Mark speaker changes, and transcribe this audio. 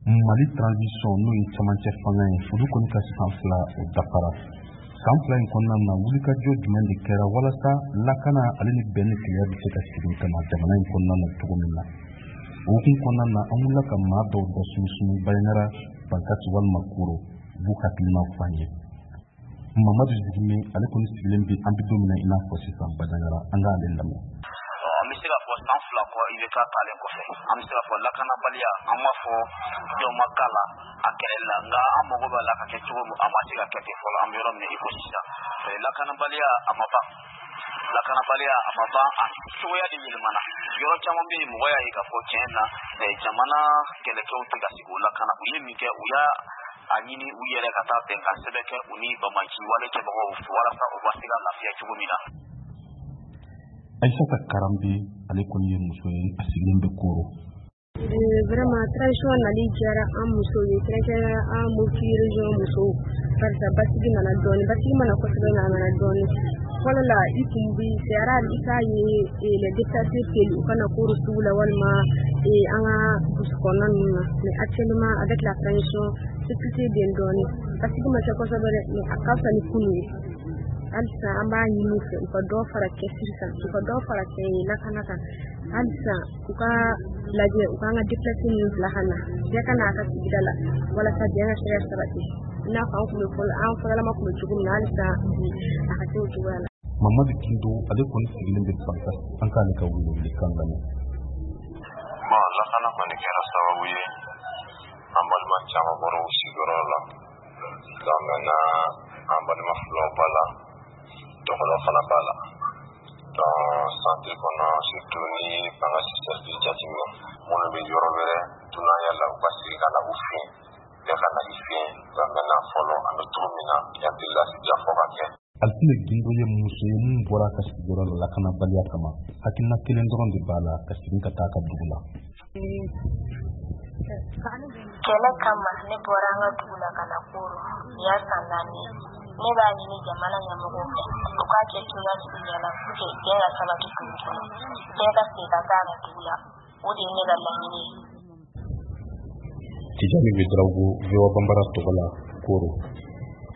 Speaker 1: Mali transition, n'o ye camancɛ fanga ye, olu kɔni ka san 2, o dafara. San 2 in kɔnɔna na, wulikajɔ jumɛn de kɛra walasa lakana ale ni bɛn ni kelenya bɛ se ka segin ka na jamana in kɔnɔna na cogo min na? O hukumu kɔnɔna na, an wulila ka maa dɔw da sunsun Banjagara, Bankasi walima Koro, u b'u hakilinaw fɔ an ye. Mamadu Zigime, ale kɔni sigilen bɛ, an bɛ don min na i n'a fɔ sisan, Banjagara. An k'ale lamɛn.
Speaker 2: An bɛ se k'a fɔ san 2 kɔ, i bɛ ka taalen kɔfɛ, an bɛ se k'a fɔ lakanabaliya, an b'a fɔ dɔ ma k'a la a kɛlɛli la, nka an mago b'a la ka kɛ cogo min, an ma se ka kɛ ten fɔlɔ. An bɛ yɔrɔ min na i ko sisan, lakanabaliya a ma ban, lakanabaliya a ma ban, a cogoya de yɛlɛmana. Yɔrɔ caman bɛ yen, mɔgɔ y'a ye k'a fɔ tiɲɛ na, jamana kɛlɛkɛw tɛ ka sigi o lakana. U ye min kɛ, u y'a a ɲini u yɛrɛ ka taa bɛnkan sɛbɛn kɛ u ni banbaanci wale kɛbagaw walasa u ka se ka lafiya cogo min na.
Speaker 1: Aïssata Karambe, ale kɔni ye muso ye, a sigilen bɛ Koro.
Speaker 3: Vraiment, transition nali diyara an musow ye, kɛrɛnkɛrɛnnenya an Mopti région musow, barisa basigi nana dɔɔni, basigi mana kosɛbɛ, nka a nana dɔɔni. Fɔlɔ la, i tun bi, c'est rare i k'a ye les déplacés teli u kana Koro sugu la walima an ka brousse kɔnɔna ninnu na. Mais actuellement, avec la transition, sécurité bɛ yen dɔɔni. Basigi ma kɛ kosɛbɛ dɛ, mais a ka fisa ni kunun ye. Halisa an b'a ɲini u fɛ, u ka dɔ fara cɛsiri kan, u ka dɔ fara lakana kan. Halisa u ka lajɛ, u k'an ka déplacé ninnu bila ka na, bɛɛ ka n'a ka sigida la, walasa bɛn ka se ka sabati, i n'a fɔ an tun bɛ fɔlɔ, an fɔlɔlama tun bɛ cogo min na. Halisa bi a ka se o cogoya la.
Speaker 1: Mamadu Kindo, ale kɔni sigilen bɛ Bankasi. An k'ale ka welewelekan lamɛn.
Speaker 4: Bon, lakana kɔni kɛra sababu ye, an balima caman bɔra u sigiyɔrɔ la. Donc maintenant, an balima filaw b'a la, dɔgɔnɔ fana b'a la. Donc centre kɔnɔ, surtout ni Bankasi cercle jateminɛ, minnu bɛ yɔrɔ wɛrɛ dunanya la, u ka segin ka na u fɛ yen, bɛɛ ka na i fɛ yen. Donc maintenant, fɔlɔ an bɛ cogo min na, hakili la fɔ ka kɛ.
Speaker 1: Alitine Gindo ye muso ye min bɔra a ka sigiyɔrɔ la lakanabaliya kama. Hakilina kelen dɔrɔn de b'a la, ka segin ka taa a ka dugu la.
Speaker 5: Kɛlɛ kama, ne bɔra an ka dugu la ka na Koro. Nin y'a san 4 ye. Ne b'a ɲini jamana ɲɛmɔgɔw fɛ, u k'a kɛ cogoya sugu bɛɛ la pour que bɛn ka sabati dugu kɔnɔ, bɛɛ ka segin ka taa a ka dugu la. O de ye ne ka laɲini ye.
Speaker 1: Tijani Ouédraogo, VOA Bambara tɔgɔ la, Koro.